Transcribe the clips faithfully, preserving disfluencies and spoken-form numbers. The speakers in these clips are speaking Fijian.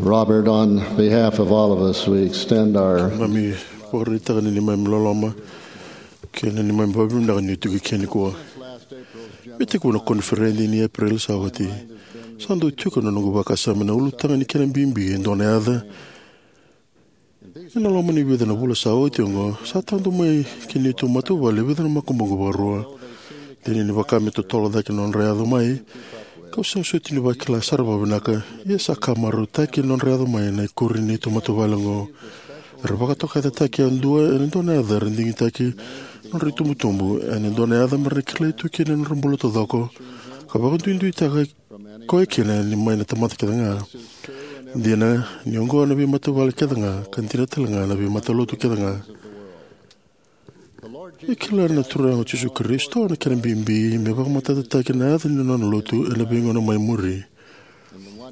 Robert, on behalf of all of us, we extend our Keimami vakaraitaka na neimami loloma kei na neimami vakavinavinaka ni o tiko eke nikua. Me tekivu na koniferedi ni Epereli sa oti, sa dau tiko na noqu vakasama na ulutaga ni kena bibi e dua na yaca. Ena loma ni vica na vula sa oti oqo, sa tadu mai ki neitou matavuvale e vica na makubuqu vakarua. Dina ni vaka me totolo cake na nodra yaco mai, kau sega soti ni vakila sara vakavinaka, ia sa ka marautaki na nodra yaco mai na ikuri ni neitou matavuvale oqo. Era vakatokayacataki yadua ena dua na yaca era digitaka na nodra itubutubu, ena dua na yaca mera na kilai tu kina na nodra bula taucoko, ka vakaduiduitaki koya kina ni mai na tamata kece ga. Dina ni oqo na veimatavuvale kece ga, ka dina tale ga na veimatalotu kece ga. E kila na Turaga o Jisu Karisito na kena bibi me vakamatatataki na yaca ni nona lotu ena veigauna mai muri.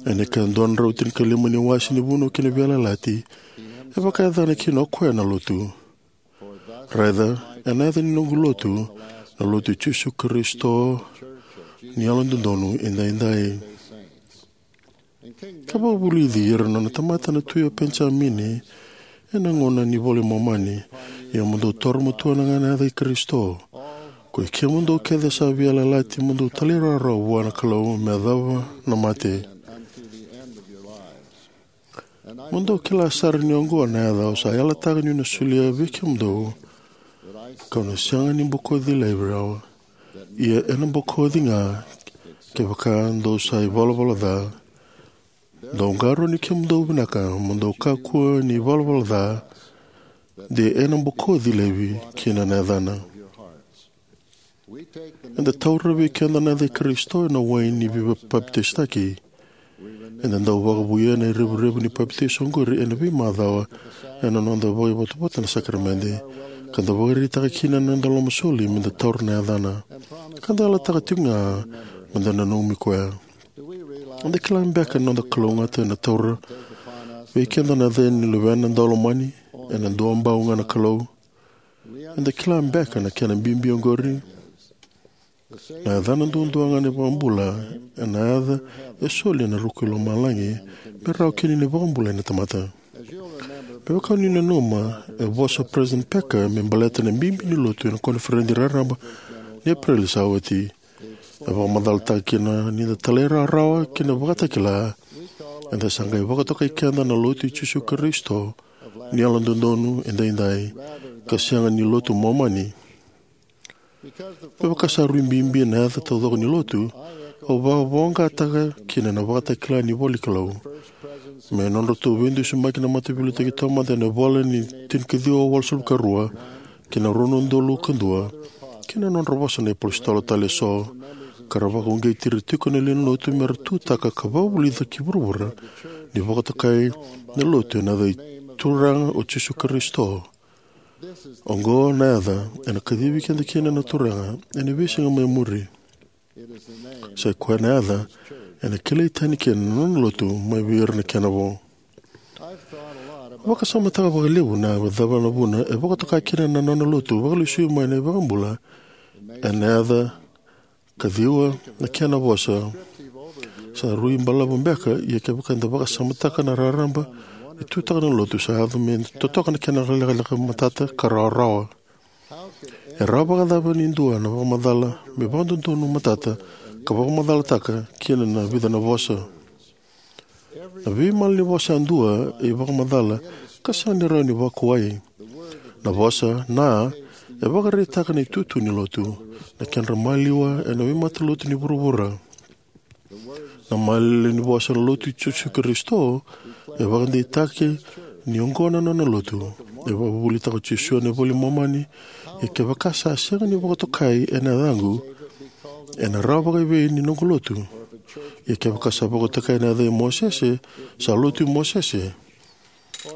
Ena ika dua na drau tinikalima ni wase ni Vunau kei na Veiyalayalati, e vakayacana kina o koya na lotu. Raica, ena yaca ni noqu lotu, na lotu i Jisu Karisito ni Yalododonu Edaidai. Ka vakavulici ira na nona tamata na tui o Penijamini ena gauna ni iVola i Momani, ia mo dou taura matua na yaca i Karisito, ko i kemudou kece sa veiyalayalati, mo dou talairawarawa vua na Kalou me yacova na mate. Mo dou kila sara ni oqo na yaca au sa yalataka niu na solia vei kemudou, kau na sega ni bokoci laivi rawa, ia ena bokoci ga kevaka dou sa ivalavala ca. Dou qarauni kemudou vinaka, mo dou kakua ni ivalavala ca, de ena bokoci laivi kina na yacana. Eda taura vei keda na yaca i Karisito ena wai ni veipapitaisotaki. Eda dau vakavouya na revurevu ni papitaiso oqori ena veimacawa ena noda vakaivotavota na sakaramede, ka da vakaraitaka kina na noda lomasoli me da taura na yacana, ka da yalataka tiko ga me da nanumi koya. Eda kila beka na noda kalougata ena taura vei keda na yaca ni Luvena Daulomani, ena duabau ga na Kalou? Eda kila beka na kena bibi oqori? Na yacana duadua ga na iVakabula, ena yaca e soli ena ruku i lomalagi me rawa kina ni vakabulai na tamata. Me vaka ni nanuma, e vosa o President Packer me baleta na bibi ni lotu ena koniferedi raraba ni Epereli sa oti. E vakamacalataka kina ni da talairawarawa ki na vakatakila, eda sa qai vakatokai keda na lotu i Jisu Karisito ni Yalododonu Edaidai, ka sega ni lotu Momani. Me vaka sa rui bibi na yaca taucoko ni lotu, au vakavoqataka kina na vakatakila ni ivolanikalou. Me nodratou veidusimaki na mataveiliutaki taumada ena ivola ni tinikaciwa walusagavulu ka rua kei na rua na udolu ka dua, kei na nodra vosa na iapositolo tale eso, ka ra vakauqeti ira tiko na lewe ni lotu me ra tutaka ka vakavulica ki vuravura ni vakatokai na lotu ena yaca i Turaga o Jisu Karisito. Oqo na yaca ena kacivi keda kina na Turaga ena veisiga mai muri. Sa i koya na yaca ena kilai tani kina na nona lotu mai vei ira na kena vo. Vakasamataka vakalevu na cava na vuna e vakatoka kina na nona lotu vakalesui mai na iVakabula ena yaca kaciwa na kena vosa. Sa rui balavu beka, ia kevaka eda vakasamataka na raraba ni tutaka na lotu, sa yaco me totoka na kena lekaleka matata ka rawarawa. E rawa vakacava ni dua na vakamacala me vakadodonu matata ka vakamacalataka kina na vica na vosa? Na veimalanivosa yadua e ivakamacala ka sega ni rawa ni vakuwai. Na vosa na e vakaraitaka na itutu ni lotu, na kedra maliwa ena veimatalotu ni vuravura. Na malanivosa na lotu i Jisu Karisito e vakadeitaki ni oqo na nona lotu. E vakavuvulitaka o Jisu ena iVola i Momani, ia kevaka sa sega ni vakatokai ena yacaqu, ena rawa vakaevei ni noqu lotu? Ia kevaka sa vakatokai ena yaca i Mosese, sa lotu i Mosese.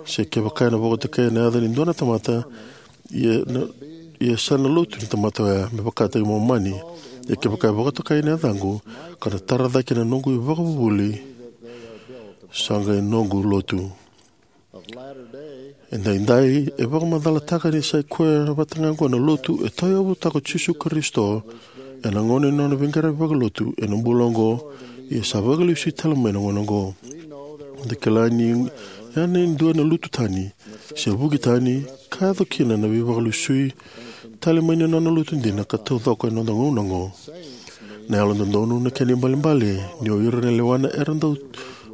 Se kevaka ena vakatokai ena yaca ni dua na tamata, ia na, ia sa na lotu ni tamata oya me vakataki Momani. Ia kevaka e vakatokai ena yacaqu, ka na tara cake na noqu ivakavuvuli, sa qai noqu lotu. Edaidai e vakamacalataka ni sa i koya vata ga oqo na lotu e tauyavutaka o Jisu Karisito ena gauna ni nona veiqaravi vakalotu ena bula oqo, ia sa vakalesui tale mai na gauna oqo. Da kila ni ya na dua na lutu tani se vuki tani ka yaco kina na veivakalesui tale mai na nona lotu dina ka taucoko ena noda gauna oqo. Na yalododonu na kena ibalebale ni o ira na lewana era dau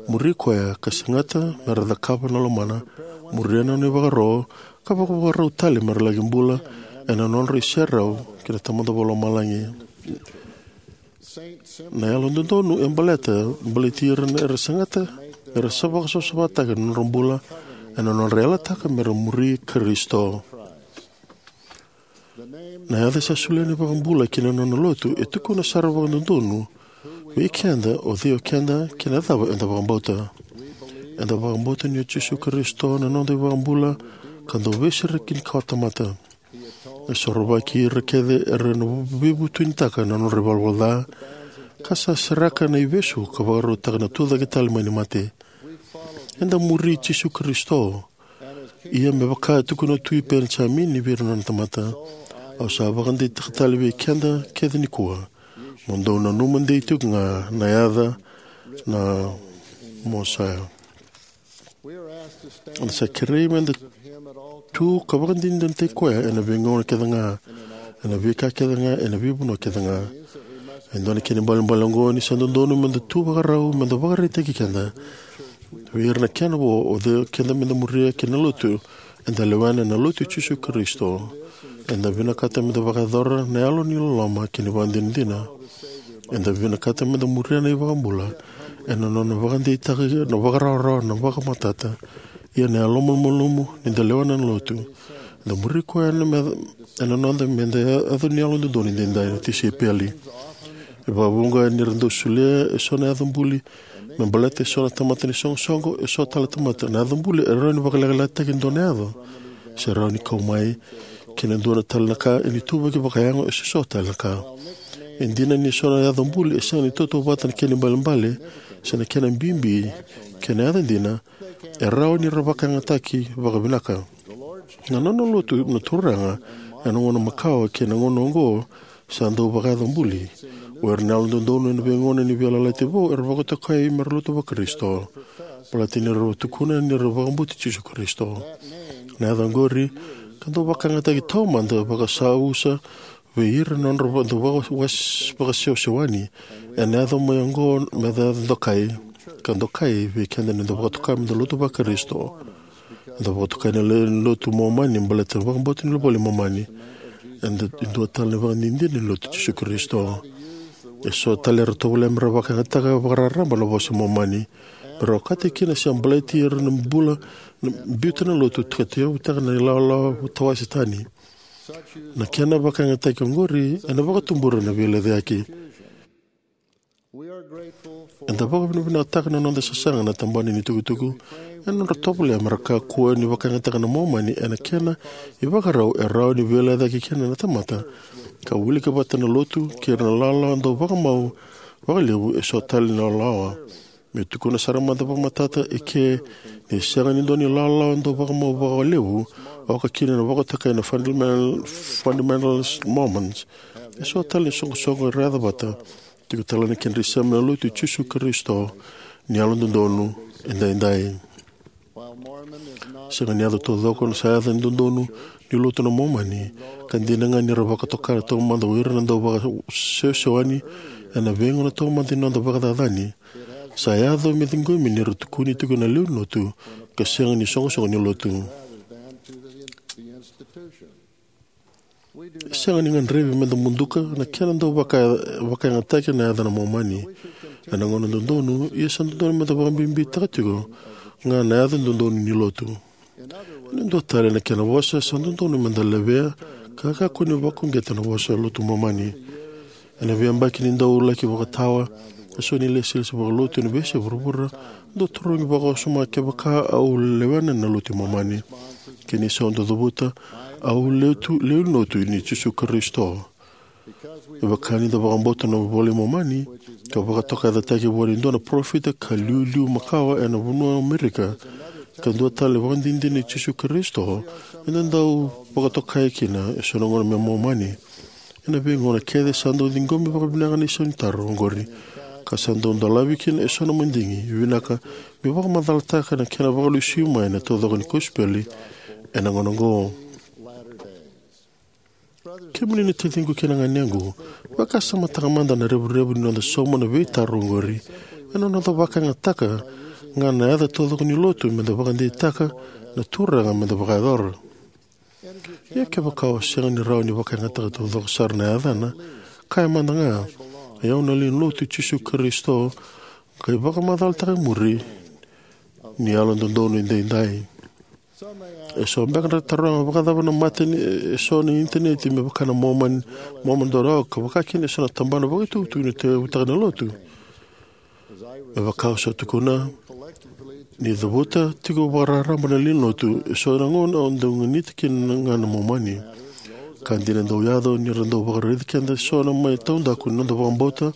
muri koya ka segata me ra cakava na lomana, muria na nona ivakaro, ka vakavakarau tale me ra laki bula ena nodra iserau kei na Tamada Vakalomalagi. Na yalododonu e baleta baleti ira era segata, era sa vakasavasavataka na nodra bula ena nodra yalataka me ra muri Karisito. Na yaca sa solia na iVakabula ki na nona lotu e tukuna sara vakadodonu vei keda o cei o keda kei na cava eda vakabauta. Eda vakabauta ni o Jisu Karisito na noda iVakabula ka dau veisereki ni kawatamata. E sorovaki ira kece era na veivutunitaka na nodra ivalavala ca, ka sa seraka na ivesu ka vakarautaka na tucake tale mai na mate. Eda muri Jisu Karisito. Ia me vaka e tukuna o Tui Penijamini vei ira na nona tamata, au sa vakadeitaka tale vei keda kece nikua, mo dou nanuma dei tiko ga na yaca na Mosaia. Eda sa kerei meda tu ka vakadinadinataki koya ena veigauna kece ga, ena veika kece ga, ena veivanua kece ga. E dua na kena ibalebale oqo ni sa dodonu meda tu vakarau meda vakaraitaki keda. Vei ira na kena vo o cei keda meda muria kei na lotu eda lewena, na lotu i Jisu Karisito. Eda vinakata meda vakayacora na yalo ni loloma kei na ivakadinadina. Eda vinakata meda muria na iVakabula ena nona vakadeitaka na vakarawarawa, na vakamatata, ia na yalomalumalumu ni da lewena na lotu. Eda muri koya ena me- ena noda meda yaco ni yalododonu edaidai na tisaipeli. E vakavuqa ni ra dau solia eso na yaca buli me baleta eso na tamata ni soqosoqo, eso tale na tamata. Na yaca buli e rawa ni vakalekalekataki e dua na yaca, se rawa ni kau mai kei na dua na tale na ka, ena ituvaki vakayago, eso tale na ka. E dina ni eso na yaca buli e sega ni tautauvata na kena ibalebale se na kena bibi kei na yaca dina, e rawa ni ra vakayagataki vakavinaka. Na nona lotu na Turaga ena gauna makawa kei na gauna oqo sa dau vakayaca buli. O ira na yalododonu ena veigauna ni Veiyalayalati Vou era vakatokai me ra lotu vaKarisito, baleta ni ra tukuna ni ra vakabauti Jisu Karisito. Na yaca oqori ka dau vakayagataki taumada vakasausa vei ira na nodra va- dau vaka- was- vakasewasewani. Ena yaco mai oqo me yaca dokai, ka dokai vei keda ni da vakatoka me da lotu vaKarisito. Eda vakatokai na le- lotu Momani baleta na vakabauta ni iVola i Momani. Eda dua tale na ivakadinadina ni lotu Jisu Karisito. Eso tale era tovolea me ra vakayagataka vakararaba na vosa Momani me ra okati kina se baleti ira na bula na biuta na lotu ka tauyavutaka na ilawalawa tawase tani. Na kena vakayagataki oqori ena vakatubura na veilecayaki. Eda vakavinavinakataka na noda sasaga na tabana ni tukutuku ena nodra tovolea me ra kakua ni vakayagataka na Momani ena kena ivakarau e rawa ni veilecayaki kina na tamata, ka wilika vata na lotu kei ira na lawalawa dau vakamau vakalevu eso tale na lawalawa. Me tukuna sara mada vakamatata eke, ni sega ni dua na ilawalawa dau vakamau vakalevu, oka kina na vakatokai na fundamental, fundamentalist Mormons. Eso tale na soqosoqo era yaca vata, tiko tale na kedra isema na lotu i Jisu Karisito ni Yalododonu Edaidai. Sega ni yaco taucoko na sa yaca ni dodonu ni lotu na Momani, ka dina ga ni ra vakatoka taumada o ira na dau vakasewasewani ena veigauna taumada ni noda vakacacani. Sa yaco me ciqomi ni ra tukuni tiko na lewe ni lotu ka sega ni soqosoqo ni lotu. E sega ni gadrevi meda muduka na kena dau vaka- vakayagataki na yaca na Momani ena gauna dodonu, ia sa dodonu meda vakabibitaka tiko ga na yaca dodonu ni lotu. Ena dua tale na kena vosa, sa dodonu meda levea ka kakua ni vakauqeta na vosa lotu Momani. Ena veiyabaki ni dau laki vakatawa eso na ilesilesi vakalotu ena veiyasai vuravura, dau tarogi vakawasoma kevaka au lewena na lotu i Momani. Kena isau dau cavuta, au lewe ni lotu i Jisu Karisito. Me vaka ni da vakabauta na iVola i Momani, ka vakatokayacataki vua e dua na parofita ka iliuliu makawa ena vanua o Amerika, ka dua tale na ivakadinadina i Jisu Karisito, eda dau vakatokai kina eso na gauna me Momani. Ena veigauna kece sa dau ciqomi vakavinaka na isau ni taro oqori. ka sa dau dolavi kina eso na madigi, vinaka me vakamacalataka na kena vakalesui mai na taucoko ni kosipeli ena gauna oqo. Kemuni na taciqu kei na ganequ, vakasamataka mada na revurevu ni noda sauma na veitaro oqori ena noda vakayagataka ga na yaca taucoko ni lotu meda vakadeitaka na Turaga meda vakayacora. Ia kevaka o sega ni rawa ni vakayagataka taucoko sara na yacana, kaya mada ga, "Oi au na lewe ni lotu i Jisu Karisito, qai vakamacalataka e muri ni Yalododonu Edaidai." Eso beka era taroga, "Vakacava na mata ni eso na initaneti me vaka na Mormon, Mormon dot org, ka vakakina eso na tabana vakaitukutuku ni tauyavutaka na lotu?" Me vaka au sa tukuna, ni cavuta tiko vakararaba na lewe ni lotu, eso na gauna au dau ganita kina ga na Momani. Ka dina dau yaco ni ra dau vakaraici keda eso na mai taudaku ni noda vakabauta,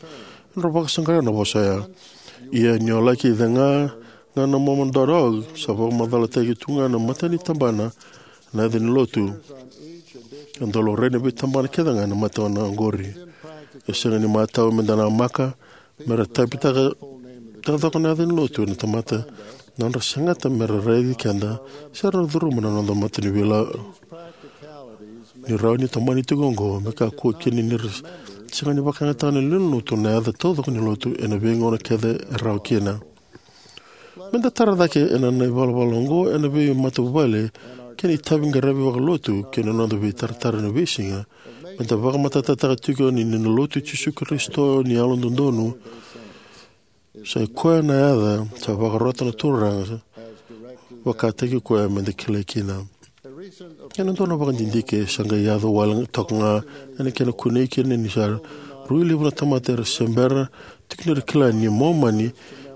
era vakasaqara na vosa oya. Ia ni o laki cega ga na Mormon dot org, sa vakamacalataki tu ga na mata ni tabana na yaca ni lotu. E dau laurai na veitabana kece ga na mata na oqori. E sega ni matau meda namaka mera taipitaka taucoko na yaca ni lotu na tamata, na nodra segata mera raici keda se ra curuma na noda mata ni veilawa. Ni rawa ni tomani tiko oqo, me kakua kina ni ra sega ni vakayagataka na lewe ni lotu na yaca taucoko ni lotu ena veigauna kece e rawa kina. Meda tara cake ena na ivalavala oqo ena veimatavuvale kei na itaviqaravi vakalotu kei na noda veitaratara ena veisiga. Meda vakamatatataka tiko ni na Lotu i Jisu Karisito ni Yalododonu, sa i koya na yaca sa vakarota na Turaga, vakataki koya meda kilai kina. Ena dua na vakadidike sa qai yaco wale toka ga ena kena kunei kina ni sa rui levu na tamata era se bera tiko ni ra kila ni Momani e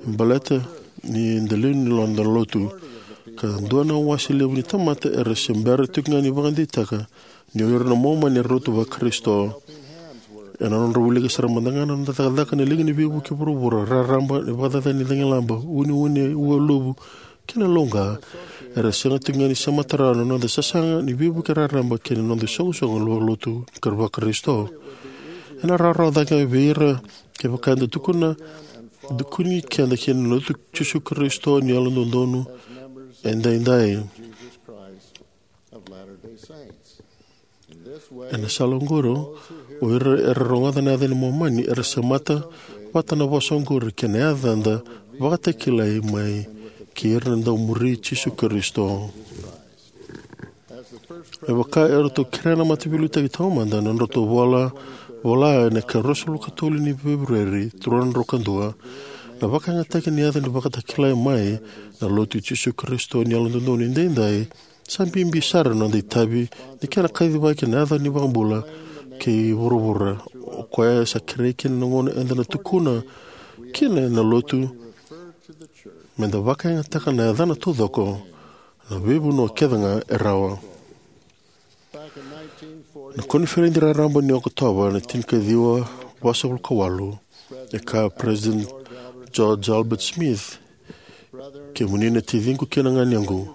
baleta ni da lewe ni noda lotu. Ka dua na wase levu ni tamata era se bera tiko ga ni vakadeitaka ni o ira na Momani era lotu vaKarisito. Ena nodra wilika sara mada ga na noda cakacaka na Liga ni Veivuke e vuravura, raraba ni vakacacani cagilaba, uneune, ualuvu, kei na lauqa, era sega tiko ga ni semata rawa na noda sasaga ni veivuke raraba kei na noda isoqosoqo vakalotu ka vaKarisito. Ena rawarawa cake vei ira kevaka eda tukuna, tukuni keda kina na Lotu i Jisu Karisito ni Yalododonu Edaidai. Ena sala oqori, o ira era rogoca na yaca ni Momani era semata vata na vosa oqori kei na yacada vakatakilai mai kei ira na dau muri Jisu Karisito. Me vaka eratou kerea na Mataveiliutaki Taumada na nodratou vola, vola ena ika ruasagavulu ka tolu ni Feperueri, rua na drau ka dua, na vakayagataki ni yaca ni vakatakilai mai na Lotu i Jisu Karisito ni Yalododonu Edaidai, sa bibi sara na noda itavi ni kena kacivaki na yaca ni iVakabula kei vuravura. O koya sa kerei kina na gauna eda na tukuna kina na lotu, meda vakayagataka na yacana taucoko na veivanua kece ga e rawa. Na koniferedi raraba ni Okotova na tinikaciwa vasagavulu ka walu, e kaya President George Albert Smith, "Kemuni na taciqu kei na ganequ,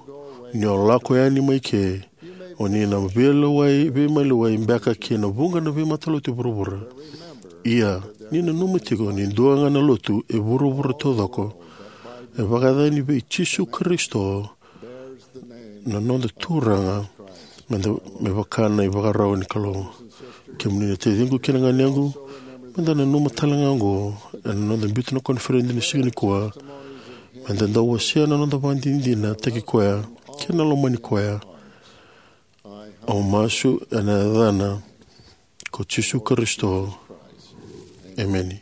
ni o lako yani mai ke, o ni na veilewai, veimaliwai beka ki na vuqa na veimatalotu e vuravura. Ia, ni nanuma tiko ni dua ga na lotu e vuravura taucoko e vakayacani vei Jisu Karisito, na noda Turaga, meda, me vaka na ivakarau ni Kalou." Kemuni na taciqu kei na ganequ, meda nanuma tale ga oqo ena noda biuta na koniferedi ni siga nikua, meda dau wasea na noda vakadinadinataki koya kei na lomani koya. Au masu ena yacana ko Jisu Karisito. Emeni.